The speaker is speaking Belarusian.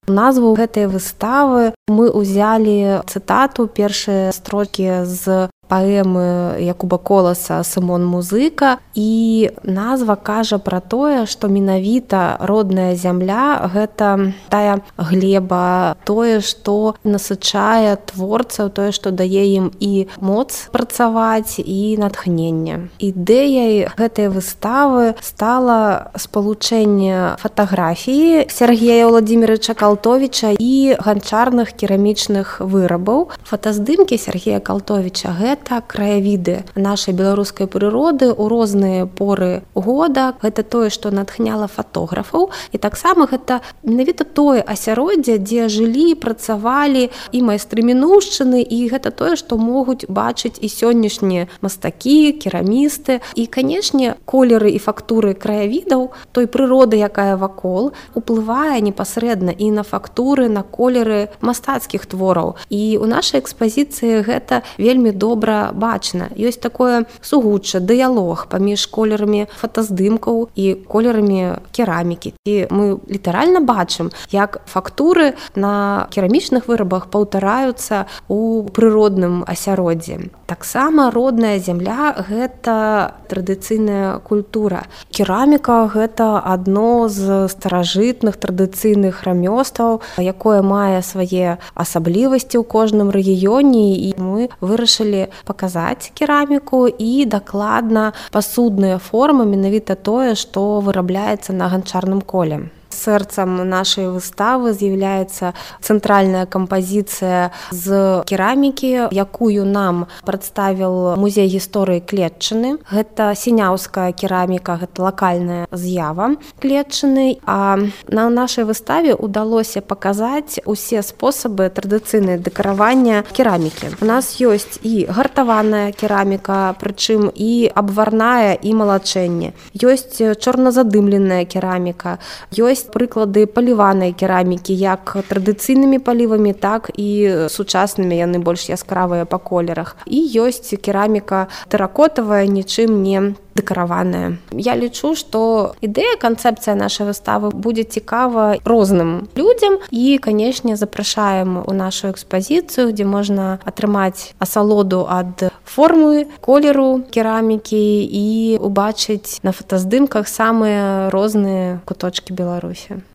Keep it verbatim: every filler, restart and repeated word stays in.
Назву гэтай выставы мы ўзялі цытату, першыя строкі з паэмы Якуба Коласа «Сымон Музыка», і назва кажа пра тое, што менавіта родная зямля – гэта тая глеба, тое, што насычае творцаў, тое, што дае ім і моц працаваць, і натхненне. Ідэяй гэтай выставы стала спалучэнне фатаграфіі Сергея Владимировича Калтовіча і ганчарных керамічных вырабаў. Фотаздымкі Сергея Калтовіча – гэта краявіды нашай беларускай прыроды ў розныя поры года. Гэта тое, што натхняла фатографаў. І таксама гэта менавіта тое асяроддзе, дзе жылі, працавалі і майстры мінуўшчыны, і гэта тое, што могуць бачыць і сённяшнія мастакі, керамісты. І, канешне, колеры і фактуры краявідаў, той прыроды, якая вакол, уплывае непасрэдна і на фактуры, на колеры мастацкіх твораў. І ў нашай экспазіцыі гэта вельмі добра бачна. Ёсць такое сугучча, дыялог паміж колерамі фотаздымкаў і колерамі керамікі. І мы літаральна бачым, як фактуры на керамічных вырабах паўтараюцца ў прыродным асяроддзі. Таксама родная зямля – гэта традыцыйная культура. Кераміка – гэта адно з старажытных традыцыйных рамёстваў, якое мае свае асаблівасці ў кожным рэгіёне, і мы вырашылі паказаць кераміку і дакладна пасудныя формы, менавіта тое, што вырабляецца на ганчарным коле. Сэрцам нашай выставы з'яўляецца цэнтральная кампазіцыя з керамікі, якую нам прадставіў музей гісторыі Клетчыны. Гэта сіняўская кераміка, гэта лакальная з'ява Клетчыны. А на нашай выставе ўдалося паказаць усе спосабы традыцыйнай дэкаравання керамікі. У нас ёсць і гартаваная кераміка, прычым і абварная, і малачэнне. Ёсць чорназадымленая кераміка, ёсць прыклады паліванай керамікі, як традыцыйнымі палівамі, так і сучаснымі, яны больш яскравыя па колерах. І ёсць кераміка тэракотавая, нічым не дэкараваная. Я лічу, што ідэя, канцэпцыя нашай выставы будзе цікава розным людзям, і, канешне, запрашаем у нашу экспазіцыю, дзе можна атрымаць асалоду ад формы, колеру керамікі і убачыць на фотаздымках самыя розныя куточкі Беларусі.